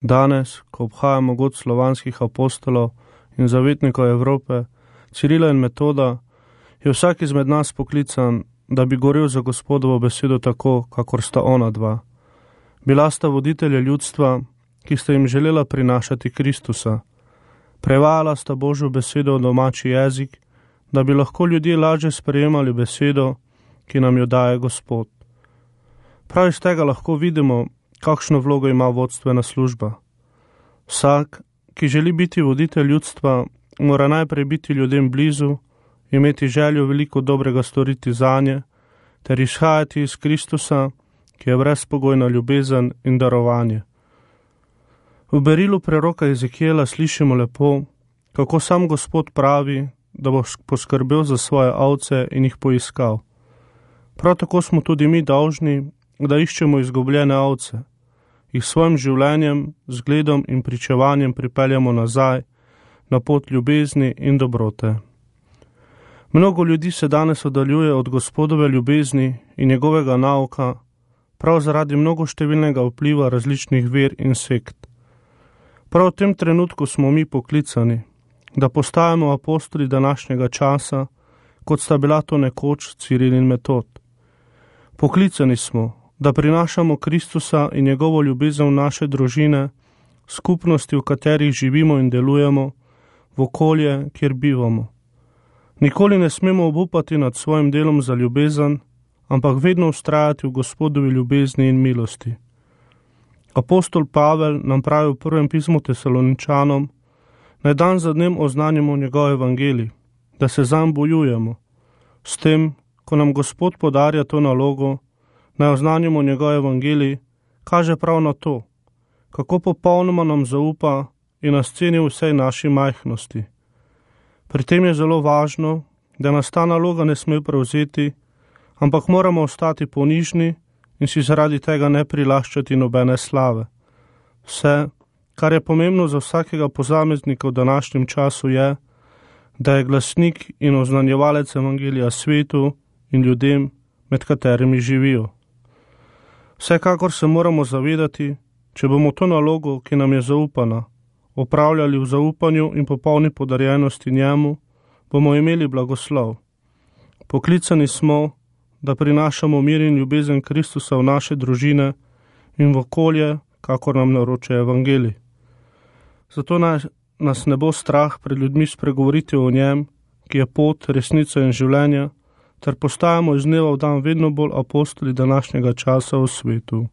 Danes, ko obhajamo god slovanskih apostolov in zavetnikov Evrope, Cirila in Metoda, je vsak izmed nas poklican, da bi gorel za Gospodovo besedo tako, kakor sta ona dva. Bila sta voditelja ljudstva, ki sta jim želela prinašati Kristusa. Prevajala sta Božjo besedo v domači jezik, da bi lahko ljudje lažje sprejemali besedo, ki nam jo daje Gospod. Prav iz tega lahko vidimo, kakšno vlogo ima vodstvena služba. Vsak, ki želi biti voditelj ljudstva, mora najprej biti ljudem blizu, imeti željo veliko dobrega storiti zanje, ter izhajati iz Kristusa, ki je brezpogojna ljubezen in darovanje. V berilu preroka Ezekijela slišimo lepo, kako sam Gospod pravi, da bo poskrbel za svoje ovce in jih poiskal. Prav tako smo tudi mi dolžni, da iščemo izgubljene ovce, jih svojim življenjem, zgledom in pričevanjem pripeljamo nazaj na pot ljubezni in dobrote. Mnogo ljudi se danes oddaljuje od Gospodove ljubezni in njegovega nauka, prav zaradi mnogoštevilnega vpliva različnih ver in sekt. Prav v tem trenutku smo mi poklicani, da postajamo apostoli današnjega časa, kot sta bila to nekoč Ciril in Metod. Poklicani smo, da prinašamo Kristusa in njegovo ljubezen v naše družine, skupnosti, v katerih živimo in delujemo, v okolje, kjer bivamo. Nikoli ne smemo obupati nad svojim delom za ljubezen, ampak vedno vztrajati v Gospodovi ljubezni in milosti. Apostol Pavel nam pravi v prvem pismu Tesaloničanom, naj dan za dnem oznanjamo njegov evangelij, da se zanj bojujemo. S tem, ko nam Gospod podarja to nalogo, naj oznanjamo njegov evangelij, kaže prav na to, kako popolnoma nam zaupa in nas ceni v vsej naši majhnosti. Pri tem je zelo važno, da nas ta naloga ne sme prevzeti, ampak moramo ostati ponižni in si zaradi tega ne prilaščati nobene slave. Vse, kar je pomembno za vsakega posameznika v današnjem času je, da je glasnik in oznanjevalec evangelija svetu in ljudem, med katerimi živijo. Vsekakor se moramo zavedati, če bomo to nalogo, ki nam je zaupana, opravljali v zaupanju in popolni podarjenosti njemu, bomo imeli blagoslov. Poklicani smo, da prinašamo mir in ljubezen Kristusa v naše družine in v okolje, kakor nam naroča evangelij. Zato nas ne bo strah pred ljudmi spregovoriti o njem, ki je pot, resnica in življenje, ter postajamo iz dneva v dan vedno bolj apostoli današnjega časa v svetu.